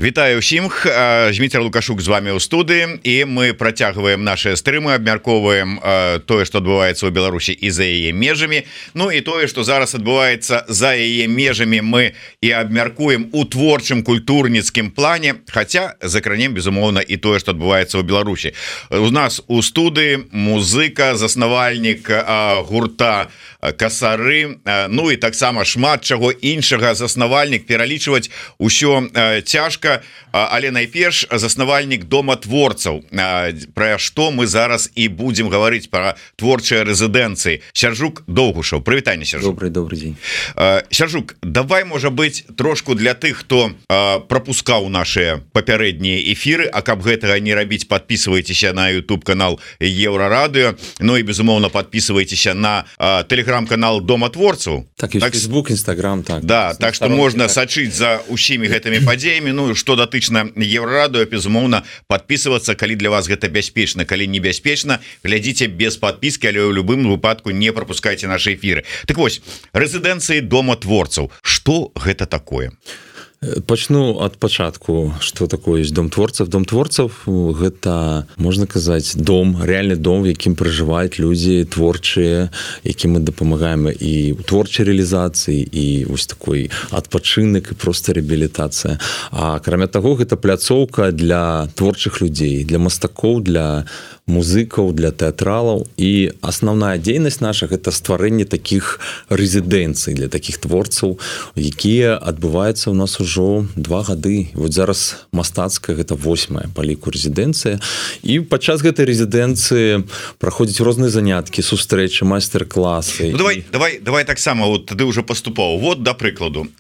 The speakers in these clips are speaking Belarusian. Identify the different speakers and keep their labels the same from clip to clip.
Speaker 1: Вітаю ўсім, Зміцер Лукашук з вами ў студыі, і мы працягваем нашыя стрымы, абмяркоўваем тое, што адбываецца ў Беларусі і за яе межамі. Ну і тое, што зараз адбываецца за яе межамі, мы і абмяркуем у творчым культурніцкім плане, хаця закранем, безумоўна, і тое, што адбываецца ў Беларусі. У нас у студыі музыка, заснавальнік гурта Касары, ну і таксама шмат чаго іншага, заснавальнік, пералічваць усё цяжка, але найперш заснавальнік дома творцаў, пра што мы зараз і будзем гаварыць, пра творчыя рэзідэнцыі. Сяржук Доўгушаў, прывітанне, Сяржук.
Speaker 2: Добрый дзень.
Speaker 1: Сяржук, давай, можа быць, трошку для тых, хто прапускаў нашыя папярэднія эфіры, а каб гэтага не рабіць, подписывайтеся на YouTube канал Еўрарадыё, ну і безумоўна подписывайтеся на телеграм-канал дома творцаў.
Speaker 2: Так, і Facebook, Instagram, так.
Speaker 1: Да, так што можна сачыць за усімі гэтымі падзеямі. Ну, што датычна Еўрарадыё, безумоўна, подписывацца, калі для вас гэта бяспечна, калі небяспечна, глядзіце без подпіски, але ў любым выпадку не пропускайце нашы эфіры. Так вось, рэзідэнцыі дома творцаў. Што гэта такое?
Speaker 2: Пачну ад пачатку, што такое ёсць дом творцаў. Дом творцаў гэта, можна казаць, дом, рэальны дом, в якім пражываюць людзі творчыя, якім мы дапамагаем і ў творчай рэалізацыі, і вось такой адпачынак, і проста рэабілітацыя. А акрамя таго, гэта пляцоўка для творчых людзей, для мастакоў, для музыкаў, для тэатралаў, і асноўная дзейнасць наша гэта стварэнне такіх рэзідэнцый для такіх творцаў, якія адбываюцца ў нас ужо 2 гады. Вот зараз мастацкая гэта 8-я па ліку рэзідэнцыя, і падчас гэтай рэзідэнцыі праходзяць розныя заняткі, сустрэчы, майстар-класы.
Speaker 1: Ну, давай таксама, вот тады ўжо паступаў. Вот, да прыкладу,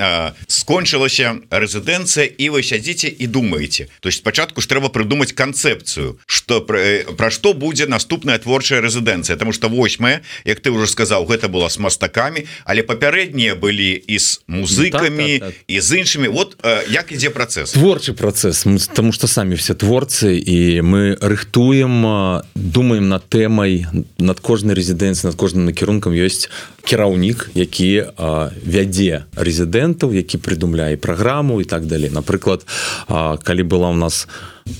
Speaker 1: скончылася рэзідэнцыя, і вы сядзіце і думаеце. То есть спачатку ж трэба прыдумаць канцэпцыю, што пра што будзе наступная творчая рэзідэнцыя, тому что 8-я, як ты ўжо сказаў, гэта была з мастакамі, але папярэднія былі і з музыкамі, і з іншымі. Вот як ідзе працэс?
Speaker 2: Творчы працэс, тому што самі все творцы, і мы рыхтуем, думаем над тэмай, над кожнай рэзідэнцыяй, над кожным накірункам ёсць кіраўнік, які вядзе рэзідэнтаў, які прыдумляе праграму і так далей. Напрыклад, калі была у нас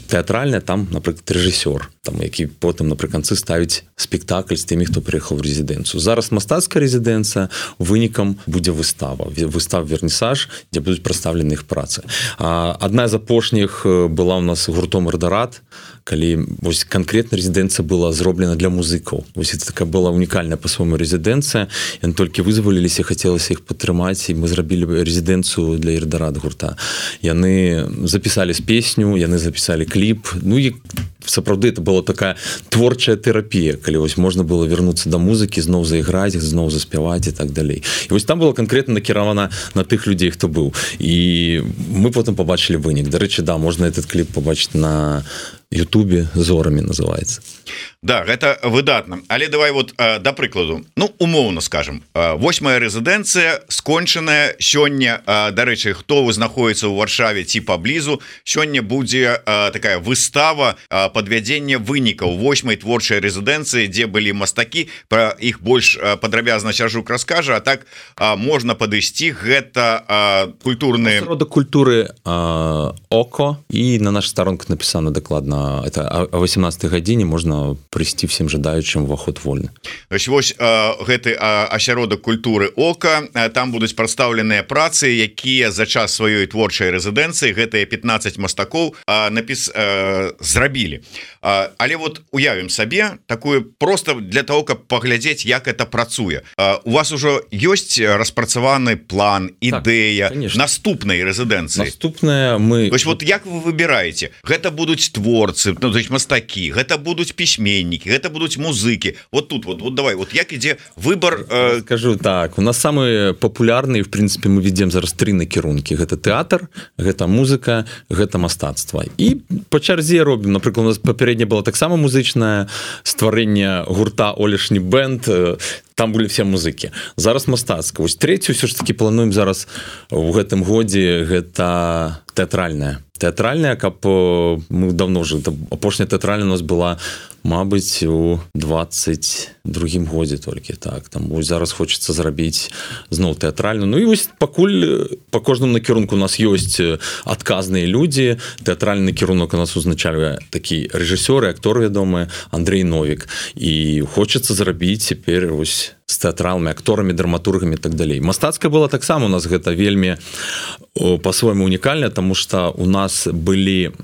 Speaker 2: тэатральная, там, напрыклад, рэжысёр, там, які потым напрыканцы ставіць спектакль з тымі, хто прыехаў у рэзідэнцыю. Зараз мастацкая рэзідэнцыя, вынікам будзе выстава вернісаж, дзе будуць прадстаўлены іх працы. Адна з апошніх была ў нас гуртом «Эрдарат», калі вось канкрэтна рэзідэнцыя была зроблена для музыкаў. Вось это такая была унікальная па-свойму рэзідэнцыя. Яны толькі вызваліліся, хацелася іх падтрымаць, і мы зрабілі рэзідэнцыю для «Эрдарат» гурта. Яны запісалі песню, яны запісалі кліп. Ну і сапраўды это была такая творчая тэрапія, калі вось можна было вярнуцца да музыкі, зноў заіграць, зноў заспяваць і так далей. І вось там было канкрэтна накіравана на тых людзей, хто быў. І мы потым пабачылі вынік. Дарэчы, да, можна этот кліп пабачыць на Ютубе, «Зорамі» называецца.
Speaker 1: Да, гэта выдатна. Але давай вот да прыкладу. Ну, умоўна скажем, 8-я рэзідэнцыя скончаная сёння. Дарэчы, хто знаходіцца ў Варшаве ці паблізу, сёння будзе такая выстава падвядзення вынікаў 8-й творчай рэзідэнцыі, дзе былі мастакі. Пра іх больш падрабязна Сяржук раскажа, а так можна падысці. Гэта культурны...
Speaker 2: Асяродак культуры ОКО, і на нашых старонках напісана дакладна. Это о 18 гадзіне можна прыйсці всім жадаючым, уваход вольны.
Speaker 1: Вось гэты асяродак культуры ОКА, там будуць прадстаўленыя працы, якія за час сваёй творчай рэзідэнцыі гэтыя 15 мастакоў зрабілі. Але вот уявім сабе такое просто для того, каб паглядзець, як это працуе. У вас ужо ёсць распрацаваны план, ідэя наступнай рэзідэнцыі?
Speaker 2: Наступная мы...
Speaker 1: То есть вот як вы выбіраеце? Гэта будуць творцы, ну, то есть мастакі, гэта будуць пісьменнікі, гэта будуць музыкі. Вот тут вот давай, вот як ідзе выбор?
Speaker 2: Скажу так, у нас самыя папулярныя, в прынцыпе, мы ведзем зараз 3 накірункі. Гэта тэатр, гэта музыка, гэта мастацтва. І па чарзе робім. Напрыклад, у нас папярэдняя была таксама музычнае стварэнне гурта «Олешні бэнд», там былі все музыкі. Зараз мастацка. Вось трэцюю ўсё ж такі плануем зараз у гэтым годзе, гэта тэатральная. Тэатральная, каб мы давно ўжо, апошняя тэатральная у нас была, мабыць, у 20 другім годзе толькі так там зараз хочется зрабіць зноў тэатральную. Ну і вось пакуль по кожнаму накірунку у нас ёсць адказныя людзі. Тэатральны накірунак у нас узначальвае такі рэжысёр і актор вядомы Андрей Новік, і хочется зрабіць цяпер вось з тэатралами, акторамі, драматургамі і так далей. Мастацкая была таксама, у нас гэта вельмі по-свойму унікальна, тому што у нас былі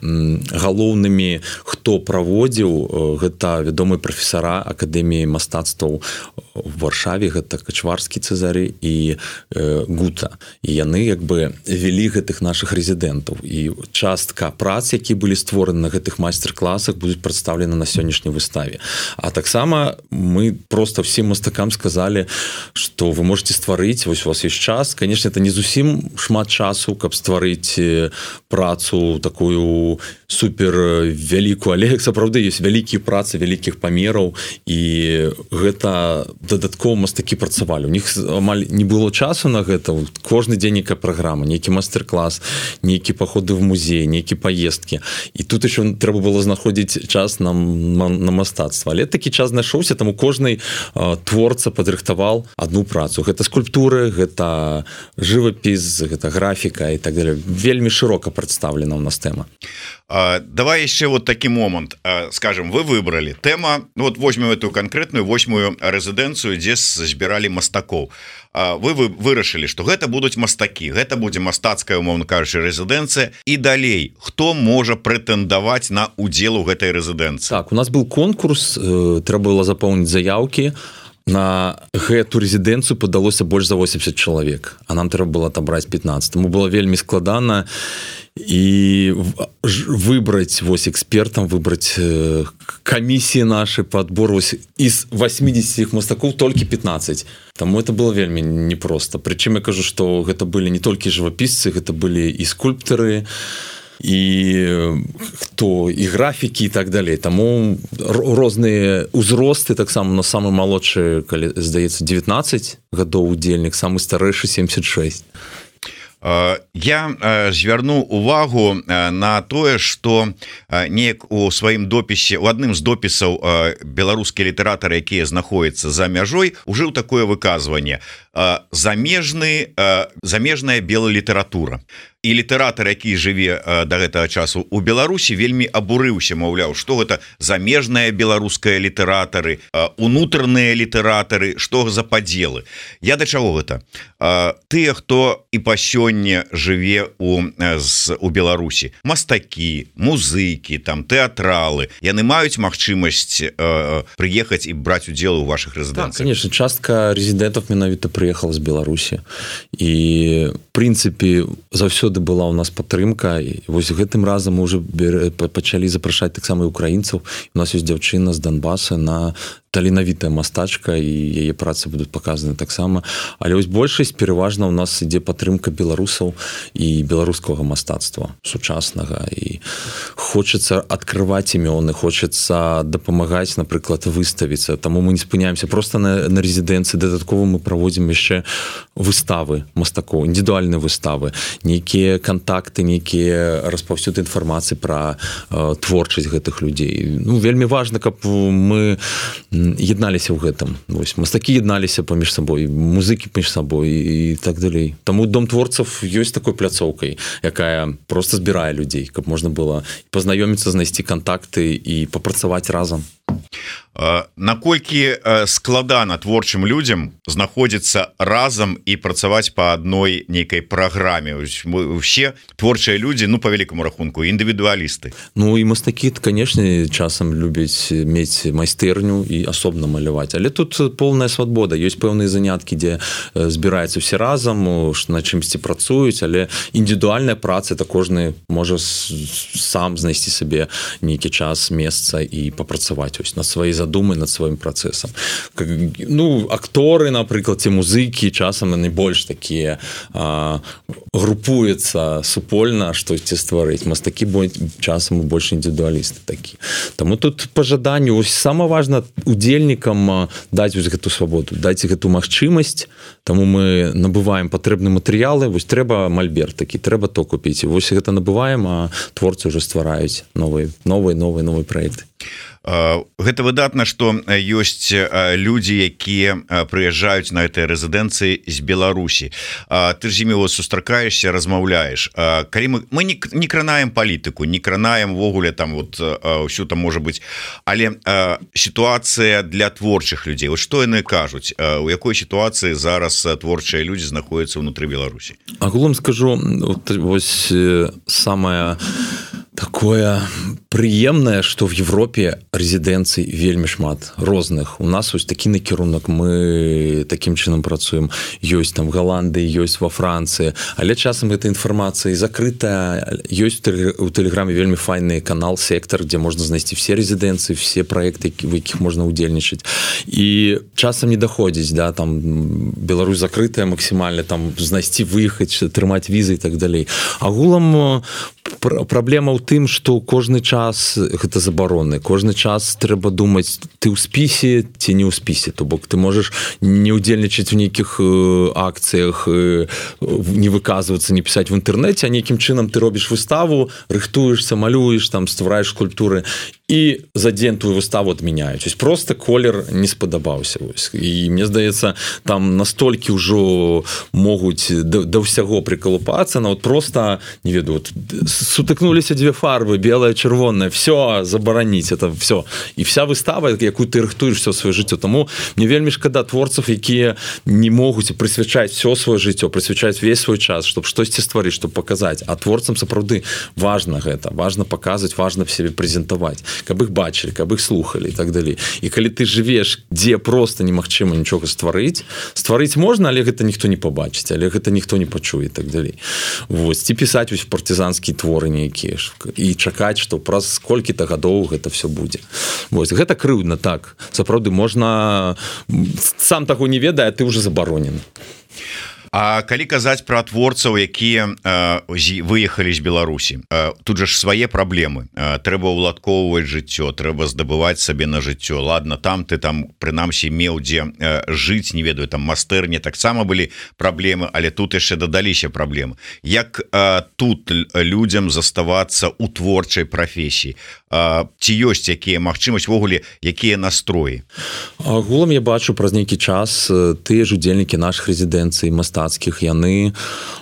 Speaker 2: галоўнымі, хто праводзіў, гэта вядомыя прафесара Акадэміі мастацтваў в Варшаве, гэта Качварскі Цезарый і Гута. І яны як бы вялі гэтых нашых рэзідэнтаў. І частка прац, які былі створаны на гэтых майстар-класах, будуць прадстаўлены на сённяшняй выставе. А таксама мы просто всім мастакам сказали, што вы можете стварыць, вось у вас ёсць час. Конечно, это не зусім шмат часу, каб стварыць працу такую супер вялікую, але сапраўды ёсць вялікія працы вялікіх памераў, і гэта дадаткова мастакі працавалі. У них амаль не было часу на гэта. Кожны дзень нейкая праграма, нейкі мастер-клас, нейкі паходы в музей, нейкі паездкі. І тут еще трэба было знаходзіць час на мастацтва. Але такі час знайшоўся, таму кожны творца падрыхтаваў одну працу. Гэта скульптуры, гэта жывапіс, гэта графіка і так далее. Вельмі шырока прадстаўлена ў нас тэма.
Speaker 1: Давай еще вот такі момант. Скажем, вы выбрали тема, ну вот возьмем эту конкретную 8-ю рэзідэнцыю, дзе збіралі мастакоў. Вы вырашылі, што гэта будуць мастакі, гэта будзе мастацкая, умоўна кажучы, рэзідэнцыя. І далей, хто можа прэтэндаваць на удзел у гэтай рэзідэнцыі?
Speaker 2: Так, у нас быў конкурс, трэба было запоўніць заяўкі. На гэту рэзідэнцыю падалося больш за 80 чалавек, а нам трэба было атобраць 15. Таму было вельмі складана і выбраць вось экспертам, выбраць камісіі нашы па адбору з 80 мастакоў толькі 15. Таму это было вельмі непросто. Прычым я кажу, што гэта былі не толькі жывапісцы, гэта былі і скульптары, і хто і графікі і так далей. Таму розныя ўзросты, таксама на самы малодшы, калі здаецца 19 гадоў удзельнік, самы старэйшы 76.
Speaker 1: Я звярну увагу на тое, што неяк у сваім допісе, у адным з допісаў беларускія літаратары, якія знаходзяцца за мяжой, ужыў такое выказванне: замежная белалітаратура. І літаратар, які жыве да гэтага часу у Беларусі, вельмі абурыўся, маўляў, што гэта замежная беларуская літаратары, унутраныя літаратары, што за падзелы. Я да чаго гэта? Тыя, хто і па сёння жыве у Беларусі, мастакі, музыкі, там тэатралы, яны маюць магчымасць прыехаць і браць удзел у вашых рэзідэнцыях.
Speaker 2: Так, конечно, частка рэзідэнтаў менавіта прыехала з Беларусі. І в прынцыпе заўсёды была у нас падтрымка, і вось гэтым разам мы уже пачалі запрашаць таксама і украінцаў. У нас ёсць дзяўчына з Донбаса, на таленавітая мастачка, і яе працы будуць паказаны таксама. Але вось большасць пераважна у нас ідзе падтрымка беларусаў і беларускага мастацтва сучаснага, і хочацца адкрываць імёны, хочацца дапамагаць, напрыклад, выставіцца. Таму мы не спыняемся проста на рэзідэнцыі. Дадаткова мы праводзім яшчэ выставы мастакоў, індывідуальныя выставы, нейкія кантакты, нейкія распаўсюд інфармацыі пра творчасць гэтых людзей. Ну, вельмі важна, каб мы ядналіся ў гэтым. Вось, мастакі ядналіся паміж сабой, музыкі паміж сабой і так далей. Таму Дом творцаў ёсць такой пляцоўкай, якая проста збірае людзей, каб можна было пазнаёміцца, знайсці кантакты і папрацаваць разам.
Speaker 1: Наколькі складана творчым людзям знаходзіцца разам і працаваць па адной нейкай праграме? Усе творчыя людзі, ну, па вялікаму рахунку, індывідуалісты.
Speaker 2: Ну, і мастакі, канешне, часам любяць мець майстэрню і асобна маляваць. Але тут поўная свабода. Ёсць пэўныя заняткі, дзе збіраюцца ўсе разам, на чымсьці працуюць, але індывідуальная праца, это кожны можа сам знайсці сабе нейкі час, месца і папрацаваць над сваёй задумай, над сваім працэсам. Ну, акторы, напрыклад, ці музыкі, часам яны больш такія групуюцца супольна, штосьці стварыць. Мастакі часам больш індывідуалісты такі. Таму тут па жаданню, самае важна удзельнікам даць гэту свабоду, даць гэту магчымасць. Таму мы набываем патрэбныя матэрыялы. Вось трэба мальберт такі, трэба то купіць. Вось гэта набываем, а творцы ўжо ствараюць новыя праекты.
Speaker 1: Гэта выдатна, што ёсць людзі, якія прыязджаюць на этой рэзідэнцыі з Беларусі. Ты ж з імі сустракаешся, размаўляеш. Калі мы не кранаем палітыку, не кранаем ввогуле там ўсё там можа быць, але сітуацыя для творчых людзей. Што яны кажуць? У якой сітуацыі зараз творчыя людзі знаходзяцца ўнутры Беларусі?
Speaker 2: Агулам скажу, вось самае такое прыемнае, што в Европе рэзідэнцый вельмі шмат розных. У нас вось такі накірунак, мы такім чынам працуем. Ёсць там Голландыі, ёсць во Францыі, але часам гэта інфармацыя закрытая. Ёсць у Тэлеграме вельмі файны канал «Сектор», дзе можна знайсці все рэзідэнцыі, все праекты, в якіх можна ўдзельнічаць. І часам не даходзіць, да, там Беларусь закрытая максімальна, там знайсці, выехаць, трымаць візы і так далей. Агулам праблема ў тым, што кожны час гэта забароны. Кожны час трэба думаць, ты ў спісе ці не ў спісе. То бок ты можаш не ўдзельнічаць у нейкіх акцыях, не выказвацца, не пісаць в інтэрнэце, а нейкім чынам ты робіш выставу, рыхтуешься, малюеш, там ствараеш скульптуры, і за дзень твою выставу адмяняюць. Просто колер не спадабаўся. І мне здаецца, там настолькі ўжо могуць да ўсяго прыкалупацца, на просто, не ведаю, сутыкнуліся дзве фарбы, белая, чырвоная, все, забараніць, это все. І вся выстава, якую ты рыхтуеш все сваё жыццё. Таму мне вельмі шкада творцаў, якія не могуць прысвячаць все сваё жыццё, прысвячаць весь свой час, чтобы штосьці стварыць, чтобы паказаць. А творцам сапраўды важна гэта, важна паказваць, важна в себе прэзентаваць, каб іх бачылі, каб іх слухалі і так далей. І калі ты жывеш, дзе просто немагчыма нічога стварыць можна, але гэта ніхто не пабачыць, але гэта ніхто не пачуе і так далей. Вось, ці пісаць вось партызанскія творы нейкія і чакаць, што праз колькі-то гадоў гэта все будзе. Вось, гэта крыўдна, так. Сапраўды, можна сам таго не ведае, а ты ўжо забаронен.
Speaker 1: А калі казаць пра творцаў, якія выехалі з Беларусі, тут жа ж свае праблемы. Трэба ўладкоўваць жыццё, трэба здабываць сабе на жыццё. Ладно, там ты там прынамсі меў дзе жыць, не ведаю, там майстэрні таксама былі праблемы, але тут яшчэ дадаліся праблемы. Як тут людзям заставацца ў творчай прафесіі? Ці ёсць якія магчымасць, ввогуле, якія настроі?
Speaker 2: Агулам я бачу праз нейкі час тыя ж удзельнікі нашых рэзідэнцый мастацкіх, яны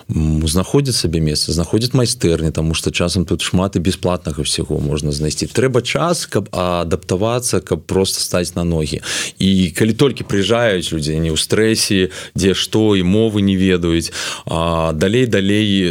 Speaker 2: знаходзяць сабе месца, знаходзяць майстэрні, таму што часам тут шмат і бясплатнага всего можна знайсці. Трэба час, каб адаптавацца, каб просто стаць на ногі. І калі толькі прыязджаюць людзі, не ў стрэсе, дзе што, і мовы не ведаюць, далей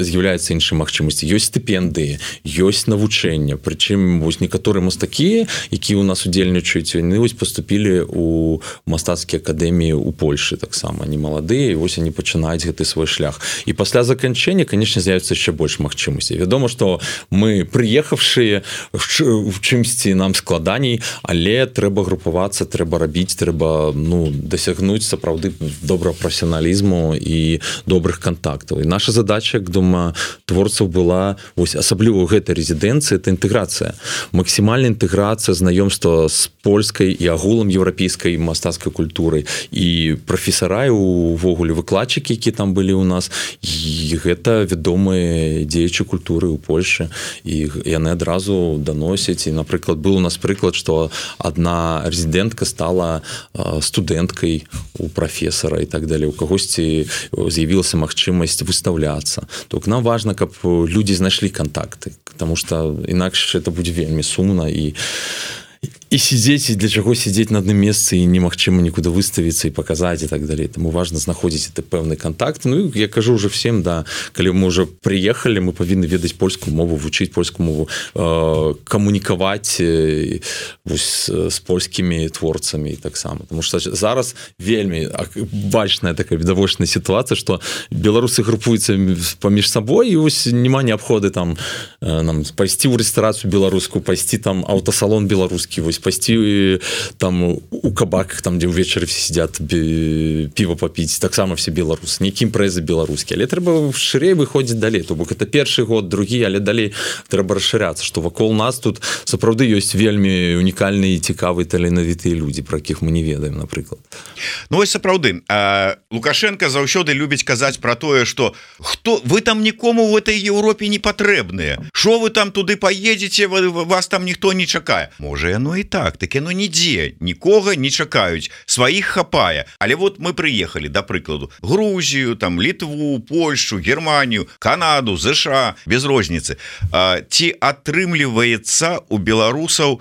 Speaker 2: з'яўляюцца іншыя магчымасці. Ёсць стыпендыі, ёсць навучэнне, прычым вось некаторыя мастакі, якія ў нас удзельнічаюць, яны вось паступілі у мастацкія акадэміі ў Польшы таксама. Они маладыя, і вось они пачынаюць гэты свой шлях. І пасля заканчэння, конечно, з'явіцца яшчэ больш магчымасцей. Вядома, што мы прыехавшыя в чымсьці нам складаней, але трэба групавацца, трэба рабіць, трэба дасягнуць сапраўды добрага прафесіяналізму і добрых кантактаў. І наша задача, як думаю, творцаў была, вось асабліва ў гэтай рэзідэнцыі, это інтэграцыя. Максімальная інтэграцыя, знаёмства з польскай і агулам еўрапейскай мастацкай культурай. І прафесара увогуле выкладчыкі, які там былі ў нас, і гэта вядомыя дзеячы культуры ў Польшы, і яны адразу даносяць. І, напрыклад, быў у нас прыклад, што адна рэзідэнтка стала студэнткай у прафесара і так далей. У кагосьці з'явілася магчымасць выстаўляцца. То нам важна, каб людзі знайшлі кантакты, потому што інакш это будзе вельмі сумна і сидзець, і для чаго сидзець на адным месцы і немагчыма нікуды выставіцца і паказаць і так далей. Таму важна знаходзіць это пэўны кантакт. Ну, я кажу уже всем, да, калі мы уже прыехалі, мы павінны ведаць польскую мову, вучыць польскую мову, камунікаваць з польскімі творцамі і таксама. Таму што зараз вельмі бачная такая відавочная сітуацыя, што беларусы групуюцца паміж сабой, і вось няма неабходы там пайсці ў рэстарацыю беларускую, пайсці там аўтасалон беларускі, вось пайсці там у кабаках, там дзе ўвечары все сидят піва папіць, таксама все беларусы, нейкі імпрэзы беларускія, але трэба шырэй выходзіць далей. То бок это першы год, другі, але далей трэба расшыряцца, што вакол нас тут сапраўды ёсць вельмі унікальныя і цікавыя таленавітыя людзі, пра якіх мы не ведаем, напрыклад.
Speaker 1: Ну вось сапраўды, Лукашенко заўсёды любіць казаць пра тое, што вы там нікому в этой Еўропе не патрэбныя, шо вы там туды паедзеце, вас там ніхто не чакае. Можа, яно і так яно нідзе нікога не чакаюць, сваіх хапае. Але вот мы прыехалі, да прыкладу, Грузію, там Літву, Польшу, Германію, Канаду, ЗША, без розніцы. Ці атрымліваецца у беларусаў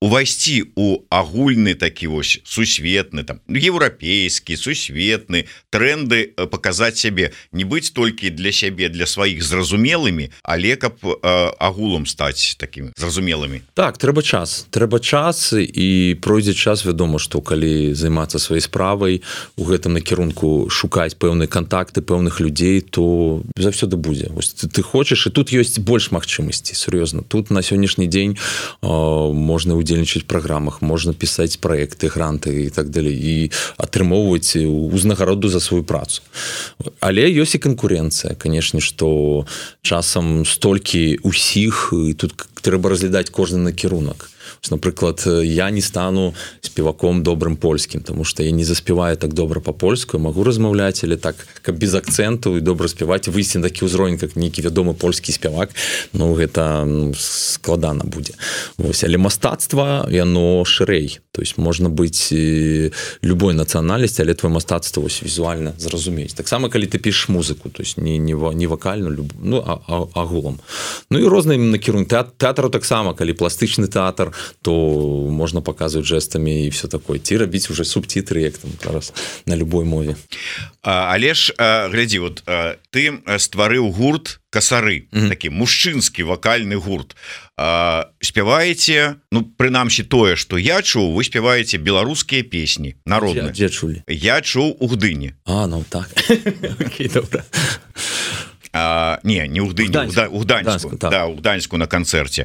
Speaker 1: увайсці у агульны такі вось сусветны, там еўрапейскі, сусветны тренды, паказаць сябе, не быць толькі для сябе, для сваіх зразумелымі, але каб агулам стаць такімі зразумелымі.
Speaker 2: Так, трэба час і пройдзе час, вядома, што калі займацца сваёй справай, у гэтым накірунку шукаць пэўныя кантакты пэўных людзей, то заўсёды будзе. Вось ты хочаш, і тут ёсць больш магчымасці, сур'ёзна. Тут на сённяшні дзень можна ўдзельнічаць у праграмах, можна пісаць праекты, гранты і так далей, і атрымоўваць узнагароду за сваю працу. Але ёсць і канкурэнцыя, канешне, што часам столькі усіх, і тут трэба разглядаць кожны накірунак. Напрыклад, я не стану спеваком добрым польскім, тому што я не заспяваю так добра па-польску, магу размаўляць, але так, каб без акцэнту і добра спяваць, выйсці на такі ўзровень, як нейкі вядомы польскі спявак, гэта складана будзе. Вось, але мастацтва, яно шырэй. То есть можна быць любой нацыянальнасці, але твоё мастацтва вось візуальна зразумець. Таксама, калі ты пішаш музыку, то есть не вакальну, агулам. Ну і розныя накірункі. Тэатру таксама, калі пластычны тэатр, то можна паказваць жэстамі і все такое. Ці рабіць уже субцітры, як там зараз на любой мове.
Speaker 1: Але ж, глядзі, вот ты стварыў гурт «Касары», такі мужчынскі вакальны гурт. Спяваеце, прынамсі тое, што я чуў, вы спяваеце беларускія песні, народныя.
Speaker 2: Дзе чулі?
Speaker 1: Я чуў у Гдыні.
Speaker 2: Так. Окей, добра.
Speaker 1: Не ў Гдыні, у Гданьску, да, у Гданьску на канцэрце.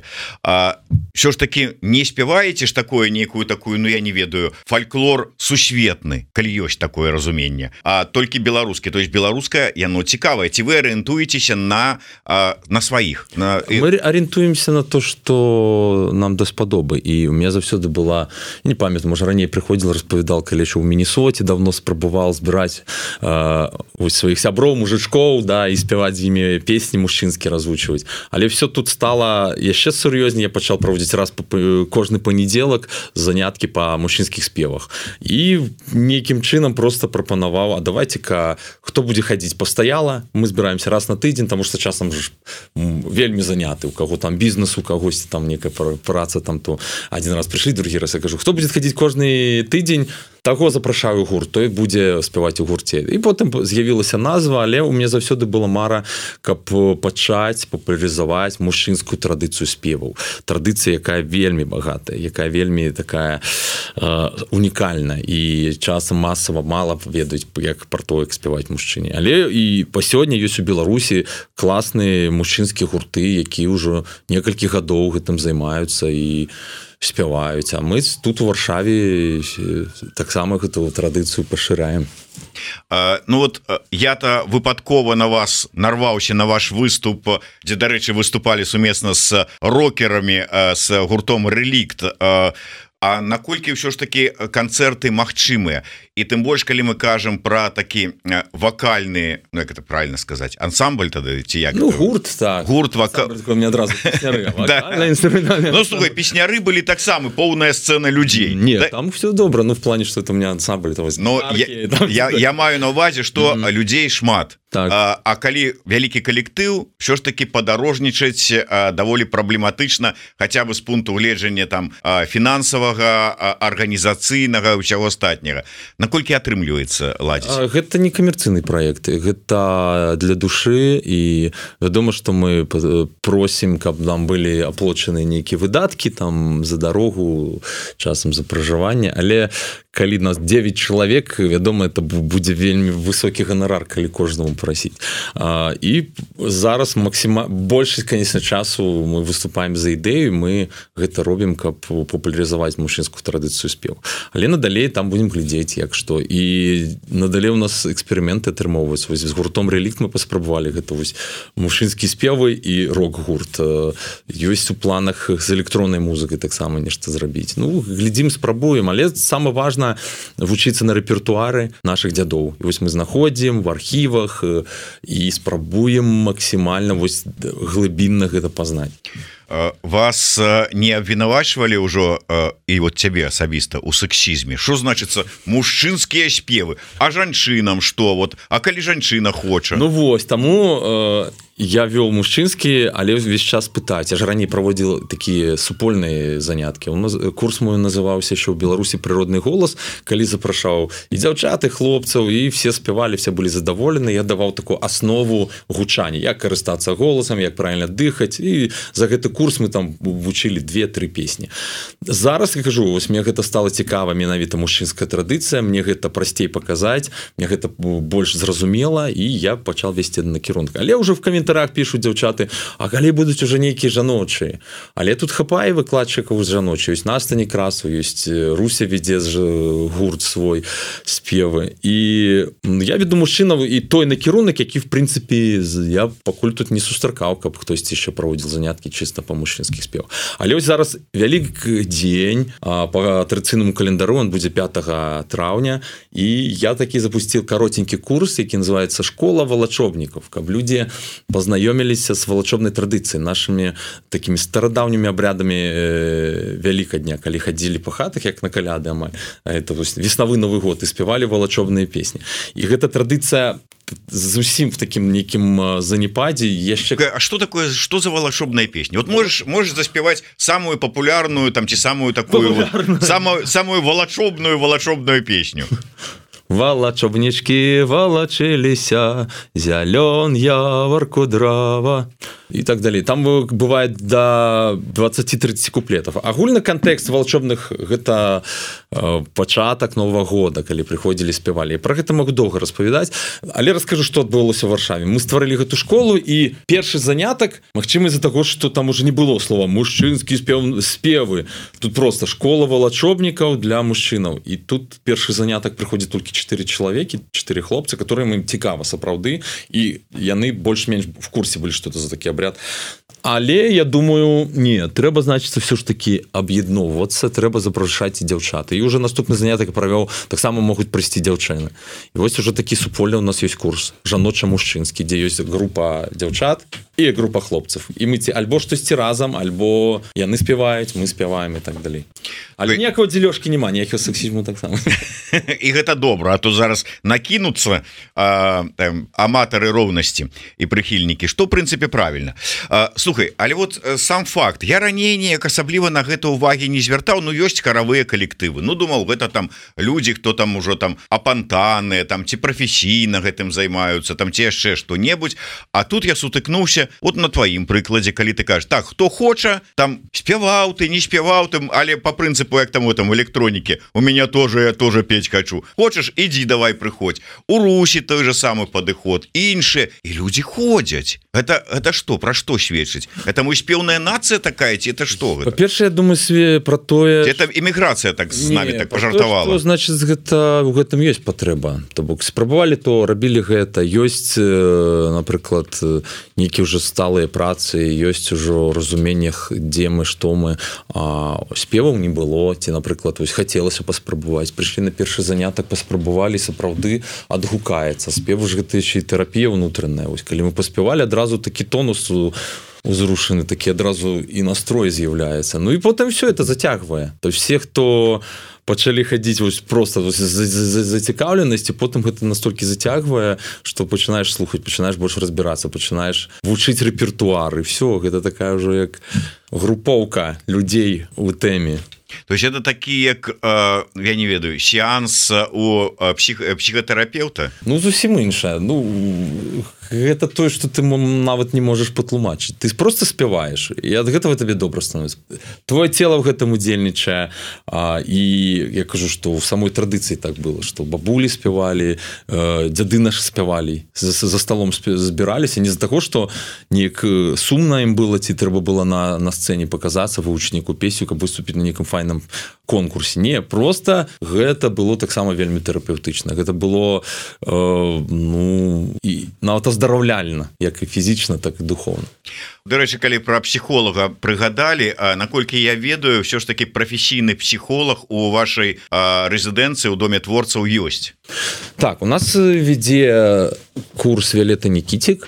Speaker 1: Що ж такі не спяваеце ж такое нейкую такую, я не ведаю, фальклор сусветны, калі ёсць такое разуменне, а толькі беларускі, то есть беларускае, яно цікавае. Ці вы арыентуецеся на сваіх?
Speaker 2: Мы арыентуемся на то, што нам даспадобы, і у меня заўсёды была, не памятаю, можа раней прыходзіла, распавядал, калі яшчэ ў Міннесоце давно спрабаваў збіраць сваіх сяброў, мужычкоў, да, і спяваць з імі песні мужчынскі развучваць. Але все тут стала яшчэ сур'ёзней, я пачаў праводзіць раз кожны панядзелак заняткі па мужчынскіх спевах. І нейкім чынам просто прапанаваў, а давайце-ка, хто будзе хадзіць пастаяла, мы збіраемся раз на тыдзень, таму што часам ж вельмі заняты, у каго там бізнес, у кагосьці там некая праца, там то адзін раз прыйшлі, другі раз я кажу, хто будзе хадзіць кожны тыдзень, таго запрашаю гурт, той будзе спяваць у гурце. І потым з'явілася назва, але ў мяне заўсёды была мара, каб пачаць папулярызаваць мужчынскую традыцыю спеваў. Традыцыя, якая вельмі багатая, якая вельмі такая унікальная, і часам масава мала ведаюць, як пра то, як спяваць мужчыне. Але і па сёння ёсць у Беларусі класныя мужчынскія гурты, якія ўжо некалькі гадоў гэтым займаюцца і спяваюць, а мы тут у Варшаве таксама гэту традыцыю пашыраем.
Speaker 1: Я-то выпадкова на вас нарваўся на ваш выступ, дзе, дарэчы, выступалі сумесна з рокерамі, з гуртом «Рэлікт». А наколькі ўсё ж такі канцэрты магчымыя? І тым больш, калі мы кажам пра такі вакальны, як это правильно сказаць, ансамбль тады, ці як?
Speaker 2: Гурт, так.
Speaker 1: Гурт
Speaker 2: мне адразу песняры.
Speaker 1: Слухай, песняры былі таксама, поўная сцэна людзей.
Speaker 2: Не, там все добра, в плане, што это у меня ансамбль.
Speaker 1: Я маю на ўвазе, што людзей шмат. А калі вялікі калектыў, ўсё ж такі падарожнічаць даволі праблематычна, хаця бы з пункту гледжання там фінансавага, арганізацыйнага, ўсяго астатняга. Наколькі атрымліваецца ладзіць?
Speaker 2: Гэта не камерцыйны праект, гэта для душы, і вядома, што мы просім, каб нам былі аплачаны нейкія выдаткі там за дарогу, часам за пражыванне, але калі нас 9 чалавек, вядома, это будзе вельмі высокі ганарар, калі кожнаму прасіць. І зараз большасць, конечно, часу мы выступаем за ідэю, мы гэта робім, каб папулярызаваць мужчынскую традыцыю спеву. Але надалей там будем глядзець, як што. І надалей у нас эксперыменты атрымоўваюцца. Вось з гуртом «Рэлікт» мы паспрабавалі гэта вось мужчынскі спевы і рок-гурт. Ёсць у планах з электроннай музыкай таксама нешта зрабіць. Глядзім, спрабуем, але самае важна вучыцца на рэпертуары нашых дзядоў. І вось мы знаходзім в архівах і спрабуем максімальна вось глыбінна гэта пазнаць.
Speaker 1: вас не абвінавачвалі ўжо і вот цябе асабіста у сексізме? Што значыцца мужчынскія спевы, а жанчынам што? Вот, а калі жанчына хоча?
Speaker 2: Ну вось, таму я вёл мужчынскі, але ўвесь час пытаць. Я ж раней праводзіл такія супольныя заняткі. Курс мой называўся яшчэ ў Беларусі «Прыродны голас», калі запрашаў і дзяўчат, і хлопцаў, і все спявалі, все былі задаволены. Я даваў такую аснову гучання, як карыстацца голасам, як правільна дыхаць. І за гэты курс мы там вучылі 2-3 песні. Зараз, я кажу, вось мне гэта стала цікава, менавіта мужчынская традыцыя, мне гэта прасцей паказаць, мне гэта больш зразумела, і я пачаў весці накірунак. Але ўжо в каментарах пишут дзяўчаты, а калі будуць уже нейкія жаночыя? Але тут хапае выкладчыкаў з жаночай. Ёсць Настя Некрасова, ёсць Руся вядзе гурт свой спевы. І я веду мужчынаў і той накірунак, які в прынцыпе я пакуль тут не сустракаў, каб хтосьці яшчэ праводзіл заняткі чыста па мужчынскіх спевах. Але ось зараз вялікі дзень па традыцыйнаму календару, он будзе 5 траўня, і я такі запусціў каротенькі курс, які называецца «Школа валачобнікаў», каб людзі познаёміліся з валачобнай традыцыяй, нашымі такімі старадаўнімі абрядамі Вялікадня, калі хадзілі па хатах, як на каляды амаль. Это веснавы Новы год, і спявалі валачобныя песні. І гэта традыцыя зусім в такім нейкім занепадзе яшчэ.
Speaker 1: А что такое, что за валачобная песня? Вот можешь заспевать самую популярную там ці самую такую самую валачобную песню?
Speaker 2: Валачобнічкі валачыліся, зялён явар кудрава, і так далей. Там бывае до 20-30 куплетов. Агульны кантэкст валачобных гэта пачатак Новага года, калі прыходзілі, спявалі. Пра гэта могу доўга распавядаць, але раскажу, што адбылося ў Варшаве. Мы стварылі гэту школу, і першы занятак, магчыма, з-за таго, што там уже не было слова мужчынскі спевы. Тут просто школа валачобнікаў для мужчынаў. І тут першы занятак прыходзіць толькі 4 чалавекі, 4 хлопцы, которым ім цікава сапраўды, і яны больш-менш в курсе былі, што это за такі абряд. Але я думаю, не, трэба, значыцца, все ж таки аб'ядноўвацца, трэба запрашаць і дзяўчаты. І уже наступны занятак правёў, таксама могуць прыйсці дзяўчыны. І вось уже такі супольны у нас ёсць курс жаноча-мужчынскі, дзе ёсць група дзяўчат і група хлопцаў. І мы альбо штосьці разам, альбо яны спяваюць, мы спяваем і так далей. Але ніякага дзелёжкі няма, ніякага сексізму таксама.
Speaker 1: І гэта добра, а то зараз накінуцца аматары роўнасці і прыхільнікі, што в прынцыпе правільна. Слухай, але вот сам факт, я раней неяк асабліва на гэта ўвагі не звяртаў, ну ёсць харавыя калектывы, ну думаў, гэта там людзі, хто там ужо там апантаныя, там ці прафесійна гэтым займаюцца, там ці яшчэ што-небудзь, а тут я сутыкнуўся вот на тваім прыкладзе, калі ты кажаш, так, хто хоча, там спяваў ты, не спяваў там, але по прынцыпу, як там у электронікі, у меня тоже, я тоже петь хочу, хочаш, ідзі, давай прыходзь, у Русі той же самы падыход, іншыя, і людзі ходзяць. Это што, пра што сведчыць? Это мы спеўная нацыя такая, ці это што гэта?
Speaker 2: Па-першае, я думаю, про тое...
Speaker 1: Это эміграцыя так з намі так пажартавала.
Speaker 2: Што, значыць, гэта, у гэтым ёсць патрэба. То бок, спрабавалі то, рабілі гэта. Ёсць, напрыклад, нейкія ўжо сталыя працы, ёсць ужо разуменнях, дзе мы, што мы. А спеваў не было, ці, напрыклад, ось, хацелася паспрабаваць. Прыйшлі на першы занятак, паспрабавалі, сапраўды адгукаецца. Спев ж гэта яшчэ і тэрапія ўнутраная. Ось, калі мы паспявалі, адразу такі тонус узрушаны, такі адразу і настрой з'яўляецца. Ну і потым все это зацягвае. То все, хто пачалі хадзіць вось просто зацікаўленасці, потым гэта настолькі зацягвае, што пачынаеш слухаць, пачынаеш больш разбірацца, пачынаеш вучыць рэпертуар, і все, гэта такая ўжо як групоўка людзей у тэме.
Speaker 1: То есть это такі, як, я не ведаю, сеанс у псіхатэрапеўта?
Speaker 2: Ну, зусім іншае. Ну, гэта тое, што ты нават не можаш патлумачыць. Ты просто спяваеш, і ад гэтага табе добра становіцца. Твоё цела ў гэтым удзельнічае, і я кажу, што ў самой традыцыі так было, што бабулі спявалі, дзяды нашы спявалі, за сталом збіраліся, не з-за таго, што неяк сумна ім было, ці трэба было на сцэне паказацца вывучніку песню, каб выступіць на нейкім файным конкурсе. Не, просто гэта было таксама вельмі тэрапеўтычна. Гэта было ну, і нават аздараўляльна, як і фізічна, так і духоўна.
Speaker 1: Дарэчы, калі пра псіхолага прыгадалі, наколькі я ведаю, ўсё ж такі прафесійны псіхолог у вашай рэзідэнцыі ў доме творцаў ёсць.
Speaker 2: Так, у нас вядзе курс Віолетта Нікітік,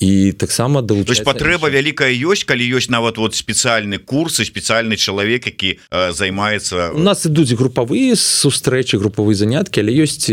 Speaker 2: і таксама
Speaker 1: долучаецца патрэба вялікая ёсць калі ёсць нават вот спецыяльны курс і спецыяльны чалавек які займаецца
Speaker 2: у нас ідуць групавыя сустрэчы групавыя заняткі але ёсць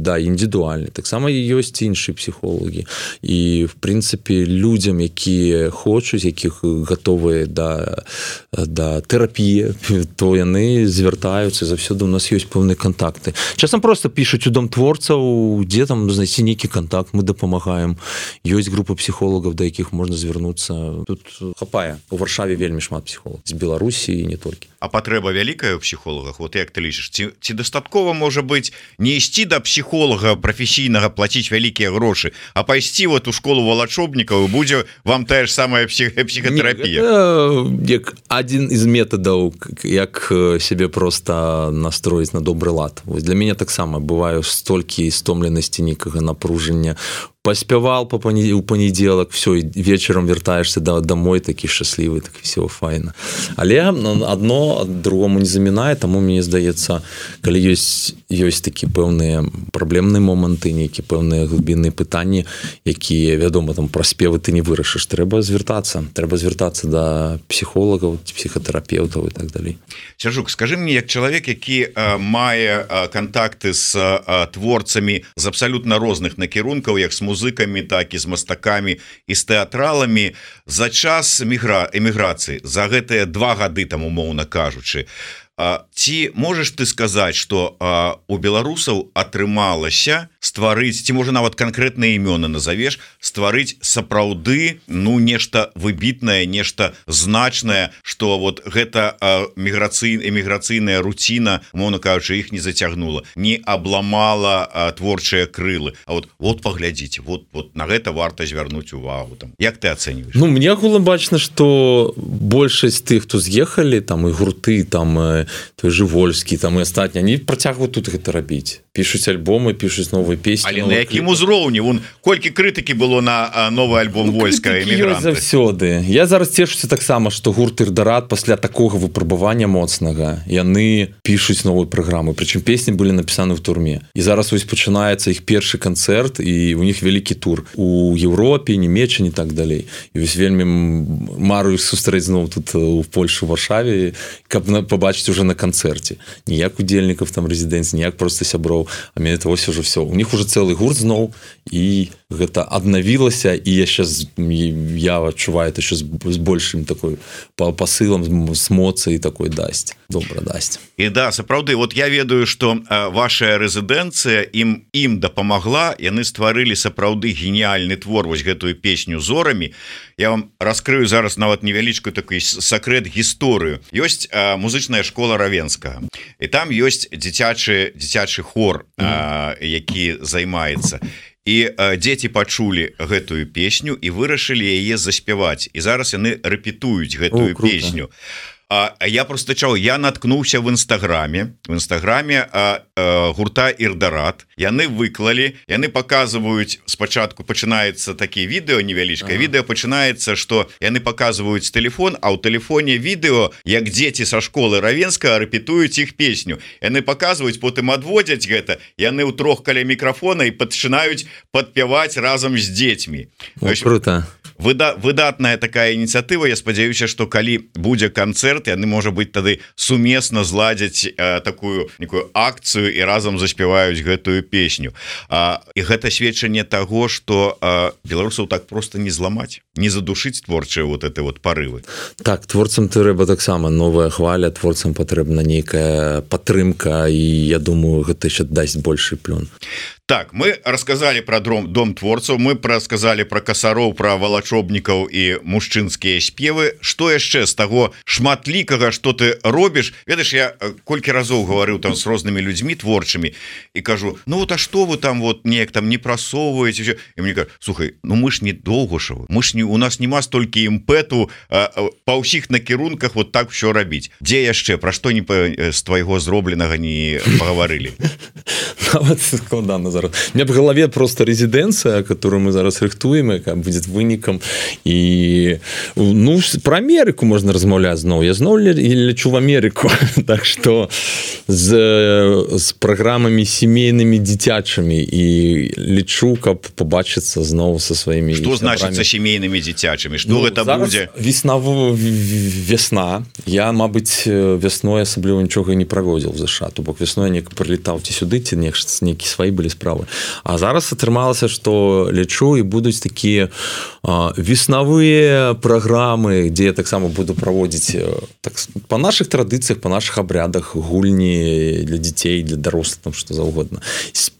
Speaker 2: да індывідуальны таксама ёсць іншыя псіхолагі і в прынцыпе людзям якія хочуць якіх гатовыя да тэрапіі то яны звяртаюцца заўсёды у нас ёсць пэўныя кантакты часам просто пішуць у дом творцаў дзе там знайсці нейкі контакт мы дапамагаем ёсць група псіхолагаў да якіх можна звярнуцца тут хапае у Варшаве вельмі шмат псіхолагаў з Беларусі і не толькі
Speaker 1: а патрэба вялікая у псіхолагах вот як ты лічыш ці дастаткова можа быць не ісці да псіхолага прафесійнага плаціць вялікія грошы а пайсці вот у школу валачобнікаў будзе вам тая ж самая псіхатэрапія
Speaker 2: як адзін з метадаў як сябе просто настроіць на добры лад вось для мяне таксама бываю столькі стомленасці нейкага напружання паспявал у панядзелак все вечарам вяртаешься домой такі шчаслівы так все файна але одно другому не замінае таму мне здаецца калі ёсць такі пэўныя праблемныя моманты нейкі пэўныя глыбінныя пытанні якія вядома там пра спевы ты не вырашыш трэба звяртацца да псіхолагаў псіхатэрапеўтаў і так далей
Speaker 1: Сяржук скажи мне як чалавек які мае кантакты з творцамі з абсалютна розных накірункаў як з музыкамі так і з мастакамі і з тэатраламі за час эміграцыі за гэтыя 2 гады там умоўна кажучы ці можаш ты сказаць што у беларусаў атрымалася стварыць ці можа нават канкрэтныя імёны назавеш стварыць сапраўды ну нешта выбітнае нешта значнае што вот гэта эміграцыйная руціна умоўна кажучы іх не зацягнула не абламала творчыя крылы а вот паглядзіце вот на гэта варта звярнуць увагу там як ты ацэньваеш
Speaker 2: Ну мне агулам бачна што большасць тых хто з'ехалі там і гурты там той же Вольскі там і астатні они працягваюць тут гэта рабіць пішуць альбомы пішуць новыя песні
Speaker 1: але на якім узроўні вон колькі крытыкі было на новы альбом Вольска эмігранты
Speaker 2: заўсёды я зараз цешуся таксама што гурт Ірдарат пасля такога выпрабавання моцнага яны пішуць новыя праграмы прычым песні былі напісаны ў турме і зараз вось пачынаецца іх першы канцэрт і у них вялікі тур у Еўропе Нямеччыне так далей і вось вельмі марую сустрэць зноў тут у Польшу Варшаве каб побачыць уже на канцэрце ніяк удзельнікаў там рэзідэнцыі ніяк просто сяброў а мне это вось уже все у них уже цэлы гурт зноў і гэта аднавілася і я адчуваю это з большим такой пасылам з моцай такой дасць добра дасць
Speaker 1: і да сапраўды вот я ведаю что ваша рэзідэнцыя ім дапамагла яны стварылі сапраўды геніальны твор вось гэтую песню зорамі я вам раскрыю зараз нават невялічкую такой сакрэт гісторыю ёсць музычная школа Равенскага і там ёсць дзіцячы хор які займаецца і дзеці пачулі гэтую песню і вырашылі яе заспяваць і зараз яны рэпетуюць гэтую песню я просто я наткнуўся в інстаграме гурта Ірдарат яны выклалі яны показваюць спачатку пачынаецца такі відэо невялічкае відэо пачынаецца што яны показваюць телефон а ў тэлефоне відэо як дзеці са школы Равенскага рэпетуюць іх песню яны показваюць потым адводзяць гэта яны ў 3 каля мікрафона і пачынаюць падпяваць разам з дзецьмі
Speaker 2: круто
Speaker 1: выдатная такая ініцыятыва я спадзяюся што калі будзе канцэрт яны можа быць тады сумесна зладзяць такую некую акцыю і разам заспяваюць гэтую песню і гэта сведчанне таго што беларусаў так просто не зламаць не задушыць творчыя вот это вот парывы
Speaker 2: так творцам трэба таксама новая хваля творцам патрэбна нейкая падтрымка і я думаю гэта яшчэ дасць большы плён
Speaker 1: Так, мы рассказали про дом творцаў, мы рассказали про касароў, про валачобнікаў і мужчынскія спевы. Што яшчэ з таго шматлікага, што ты робіш? Ведаеш, я колькі разоў гаварыў там з рознымі людзьмі творчымі і кажу: "Ну вот а што вы там вот неяк там не прасоўваеце?" І мне кажуць: "Слухай, ну мы ж не Долгушавы. Мы ж не у нас нема столькі імпэту па ўсіх накірунках вот так ўсё рабіць. Дзе яшчэ пра што не з твайго зробленага не пагаварылі?"
Speaker 2: Нават складана зараз. У меня в голове просто резиденция, которую мы зараз рыхтуем, будет выником там і ну про Амерыку можна размаўляць зноў, я зноў лечу в Амерыку так что з праграмамі семейнымі дзіцячымі і лічу, каб побачыцца зноў со сваімі.
Speaker 1: Што значыцца семейнымі дзіцячымі, што гэта будзе?
Speaker 2: Весна, я мабыць вясной асабліва нічога не праводзіў в ЗША, то бок вясной неяк прылетаў ці сюды, ці нейкі свае былі справы, а зараз атрымалася, што лечу і будуць такія веснавыя праграмы, дзе я таксама буду праводзіць так, па нашых традыцыях, па нашых абрядах гульні для дзяцей, для дарослых, там што заўгодна.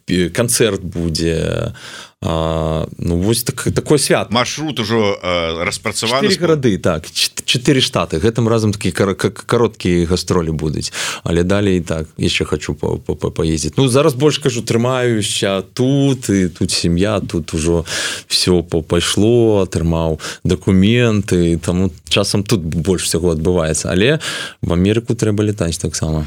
Speaker 2: Канцэрт будзе, ну вось такой свят.
Speaker 1: Маршрут ужо распрацаваны.
Speaker 2: 4 гарады, так, 4 штаты. Гэтым разам такія кароткія гастролі будуць, але далей так яшчэ хочу паездзіць. Ну зараз больш кажу, трымаюся тут, і тут сям'я, тут ужо все пайшло, атрымаў дакументы, таму часам тут больш усяго адбываецца, але в Амерыку трэба летаць таксама.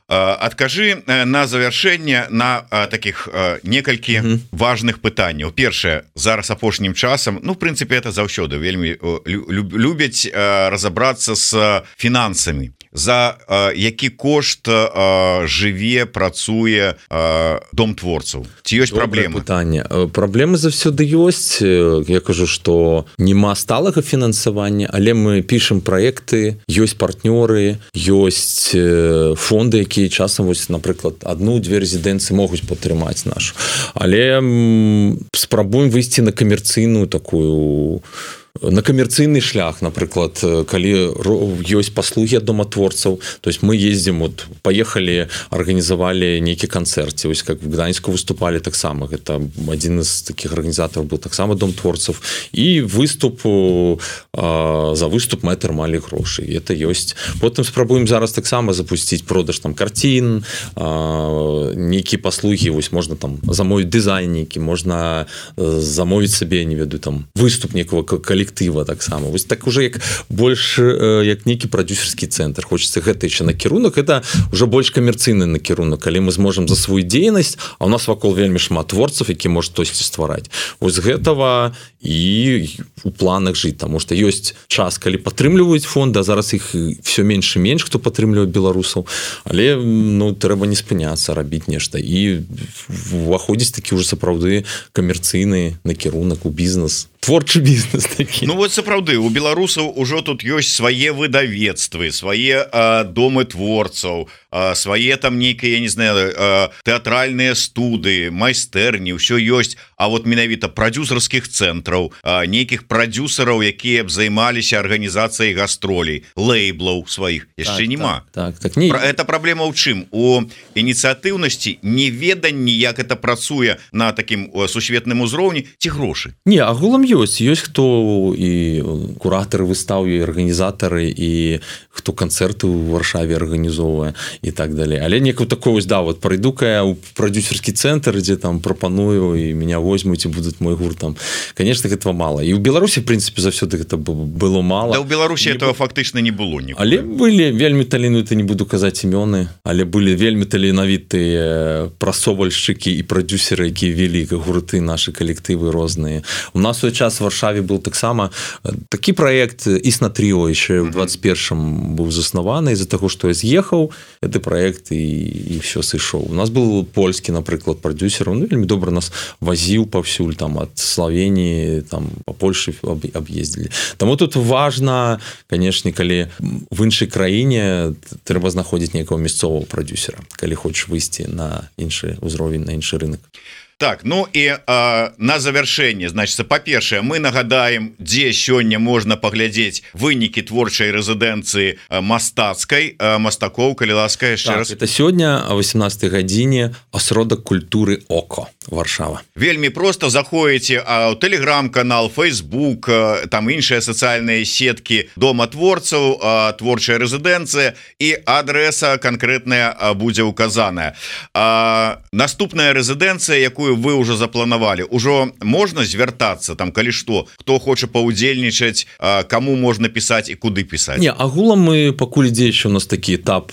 Speaker 1: Адкажы на завяршэнне на таких некалькі важных пытанняў. Першае, зараз апошнім часам, ну в прынцыпе это заўсёды вельмі любяць разабрацца з фінансамі. За які кошт жыве, працуе дом творцаў? Ці ёсць праблемы?
Speaker 2: Пытанне. Праблемы заўсёды ёсць. Я кажу, што нема сталага фінансавання, але мы пішам праекты, ёсць партнёры, ёсць фонды, якія часам, вось, напрыклад, 1-2 рэзідэнцыі могуць падтрымаць нашу. Але спрабуем выйсці на камерцыйную такую, на камерцыйны шлях, напрыклад, калі ёсць паслугі ад дома-творцаў, то есть мы ездзім, вот паехалі, арганізавалі нейкі канцэрт, вось как в Гданьску выступалі таксама, гэта адзін з такіх арганізатараў быў таксама дом творцаў, і выступ, за выступ мы атрымалі грошы, і это ёсць. Потым спрабуем зараз таксама запусціць продаж там карцін, нейкія паслугі, вось можна там замовіць дызайн нейкі, можна замовіць сабе, не ведаю, там выступ некого калектыва таксама. Вось так уже як больш як нейкі прадюсерскі цэнтр. Хочацца гэта яшчэ накірунак, это уже больш камерцыйны накірунак, калі мы зможам за сваю дзейнасць, а у нас вакол вельмі шмат творцаў, які можа штосьці ствараць. Вось гэтага і у планах жыць, таму што ёсць час, калі падтрымліваюць фонды, а зараз іх все менш і менш, хто падтрымлівае беларусаў, але ну трэба не спыняцца, рабіць нешта і уваходзіць такі ўжо сапраўды камерцыйны накірунак у бізнес, творчы бізнес такі.
Speaker 1: Ну вот сапраўды у беларусаў ужо тут ёсць свае выдавецтвы, свае домы творцаў, свае там нейкія, я не знаю, тэатральныя студыі, майстэрні, ўсё ёсць. А вот менавіта прадюсерскіх цэнтраў, нейкіх прадюсераў, якія б займаліся арганізацыяй гастролей, лейблаў сваіх яшчэ няма. Это праблема ў чым? У ініцыятыўнасці, неведанні, як это працуе на такім сусветным узроўні, ці грошы?
Speaker 2: Не, агулам ёсць хто і куратары выстаў, і арганізатары, і хто канцэрты ў Варшаве арганізоўвае і так далей. Але некую такую, да, вот прыйду-ка я ў прадюсерскі цэнтр, дзе там прапаную, і меня возьмуць, і будуць мой гурт там. Конечно, гэтага мала. І ў Беларусі, в прынцыпе, заўсёды гэта было мала.
Speaker 1: Да ў Беларусі этого фактычна не было ніколі.
Speaker 2: Але былі вельмі таленавітыя, не буду казаць імёны, але былі вельмі таленавітыя прасовальшчыкі і прадюсеры, якія вялі гурты, нашы калектывы розныя. У нас у час в Варшаве был таксама такі праект «Існа Тріо» яшчэ ў 21-м быў заснаваны из-за таго, што я з'ехаў гэты праект і все сышоў. У нас был польскі, напрыклад, прадюсер, он вельмі добра нас вазіў паўсюль, там ад Славеніі, там па Польшы аб'ездзілі. Таму тут важна, канешне, калі в іншай краіне трэба знаходзіць нейкага мясцовага прадюсера, калі хочаш выйсці на іншы ўзровень, на іншы рынок.
Speaker 1: Так, ну і на завяршэнне, значыцца, па-першае, мы нагадаем, дзе сёння можна паглядзець вынікі творчай рэзідэнцыі мастацкай, мастакоў, калі ласка, яшчэ раз.
Speaker 2: Это сёння о 18 гадзіне асродак культуры ОКО, Варшава.
Speaker 1: Вельмі проста заходзіце ў тэлеграм-канал, фейсбук, там іншыя сацыяльныя сеткі дома творцаў, творчая рэзідэнцыя, і адрэса канкрэтная будзе указаная. Наступная рэзідэнцыя, якую якую вы ўжо запланавалі, ужо можна звяртацца там, калі што, хто хоча паўдзельнічаць, каму можна пісаць і куды пісаць?
Speaker 2: Не, агулам мы пакуль ідзе яшчэ у нас такі этап,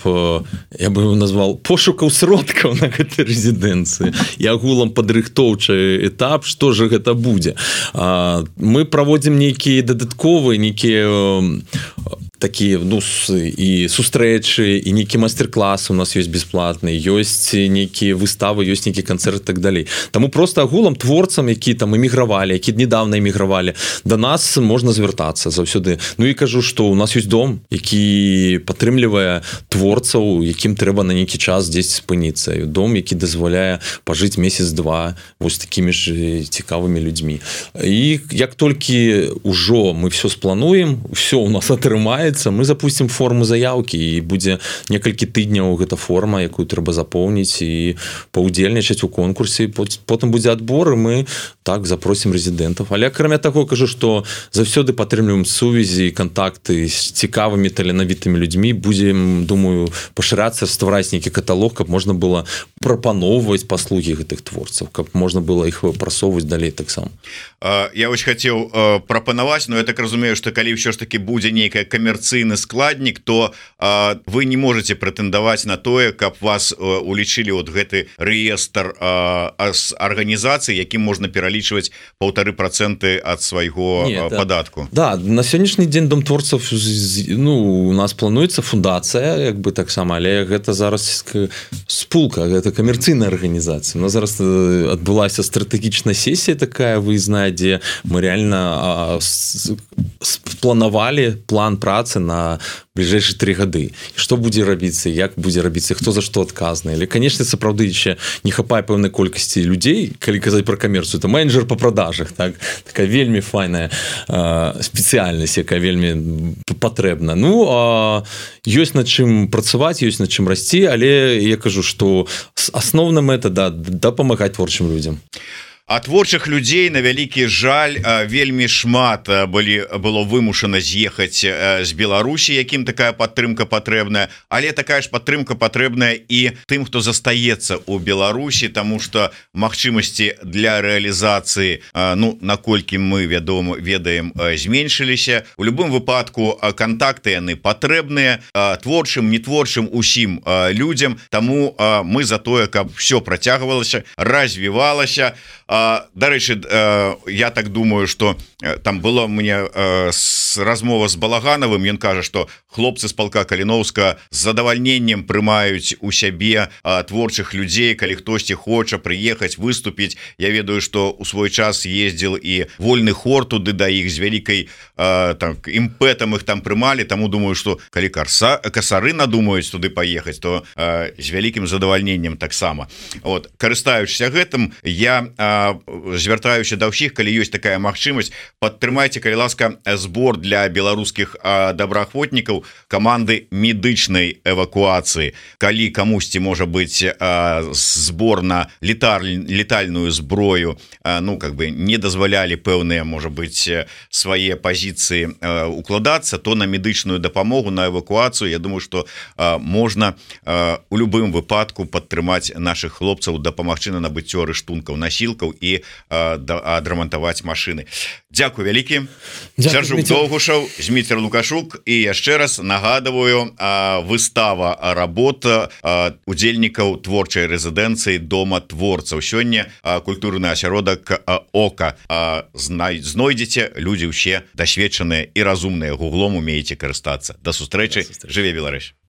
Speaker 2: я бы его назвал пошукаў сродкаў на гэтай рэзідэнцыі і агулам падрыхтоўчы этап, што же гэта будзе. Мы праводзім нейкія дадатковыя, нейкія такие, ну, і сустрэчы, і нейкі мастер-класы у нас ёсць бесплатныя, ёсць нейкія выставы, ёсць нейкі канцэрт і так далей. Таму просто агулам творцам, які там эмігравалі, які недавно эмігравалі, да нас можна звяртацца заўсёды. Ну і кажу, што у нас ёсць дом, які падтрымлівае творцаў, якім трэба на нейкі час дзесьці спыніцца. Дом, які дазваляе пажыць месяц-два вось такімі ж цікавымі людзьмі. І як толькі ўжо мы все сплануем, все у нас атрымаецца, мы запустим форму заявкі і будзе некалькі тыдняў гэта форма, якую трэба запоўніць і паўдзельнічаць у конкурсе, потым будзе адбор і мы так запросім рэзідэнтаў. Але акрамя таго кажу, што заўсёды падтрымліваем сувязі і кантакты з цікавымі таленавітымі людзьмі, будзем, думаю, пашырацца, ствараць нейкі каталог, каб можна было прапаноўваць паслугі гэтых творцаў, каб можна было іх прасоўваць далей таксама.
Speaker 1: Я вось хацеў прапанаваць, но я так разумею, што калі ўсё ж таки будзе нейкая камерцыйны складнік, то вы не можете прэтэндаваць на тое, каб вас улічылі вот гэты рэестр арганізацый, якім можна пералічваць 1,5% ад свайго падатку.
Speaker 2: Да, на сённяшні дзень Дом творцаў, ну, у нас плануецца фундацыя, як бы таксама, але гэта зараз спулка, гэта камерцыйная арганізацыя. У нас зараз адбылася стратэгічная сесія такая выездная, дзе мы реально спланавалі план працы на бліжэйшыя 3 гады. Што будзе рабіцца, як будзе рабіцца, хто за што адказны. Але, канешне, сапраўды яшчэ не хапае пэўнай колькасці людзей, калі казаць пра камерцыю, то менеджер па продажах, так? Такая вельмі файная спецыяльнасць, якая вельмі патрэбна. Ну, ёсць над чым працаваць, ёсць над чым расці, але я кажу, што асноўна мэта, да, дапамагаць творчым людзям.
Speaker 1: А творчых людзей, на вялікі жаль, вельмі шмат было вымушана з'ехаць з Беларусі, якім такая падтрымка патрэбная, але такая ж падтрымка патрэбная і тым, хто застаецца ў Беларусі, таму што магчымасці для рэалізацыі, ну, наколькі мы ведаем, зменшыліся. У любым выпадку кантакты яны патрэбныя творчым, нетворчым, усім людзям, таму мы за тое, каб все працягвалася, развівалася. Дарэчы, я так думаю, что там было мне размова з Балаганавым, ён кажа, што хлопцы з палка Каліноўска з задавальненнем прымаюць у сябе творчых людзей, калі хтосьці хоча прыехаць, выступіць. Я ведаю, што у свой час ездзіл і вольны хор туды да іх з вялікай імпэтам іх там прымалі, таму думаю, што калі касары надумаюць туды паехаць, то з вялікім задавальненнем таксама. Вот, карыстаючыся гэтым, я звяртаюся да ўсіх, калі ёсць такая магчымасць, падтрымайце, калі ласка, збор для беларускіх добраахвотнікаў каманды медычнай эвакуацыі. Калі камусьці можа быць збор на летальную зброю, ну, как бы не дазвалялі пэўныя, можа быць, свае пазіцыі укладацца, то на медычную дапамогу, на эвакуацыю, я думаю, што можна у любым выпадку падтрымаць наших хлопцаў, дапамагчы на набыццё рыштункаў, насілкаў і адрамантаваць машыны. Дзякуй вялікі. Сяржук Доўгушаў, Зміцер Лукашук, і яшчэ раз нагадываю, выстава работ удзельнікаў творчай рэзідэнцыі Дома творцаў. Сёння культурны асяродак Ока. Знойдзеце, людзі ўсе дасведчаныя і разумныя, гуглом умееце карыстацца. Да сустрэчы, жыве Беларусь.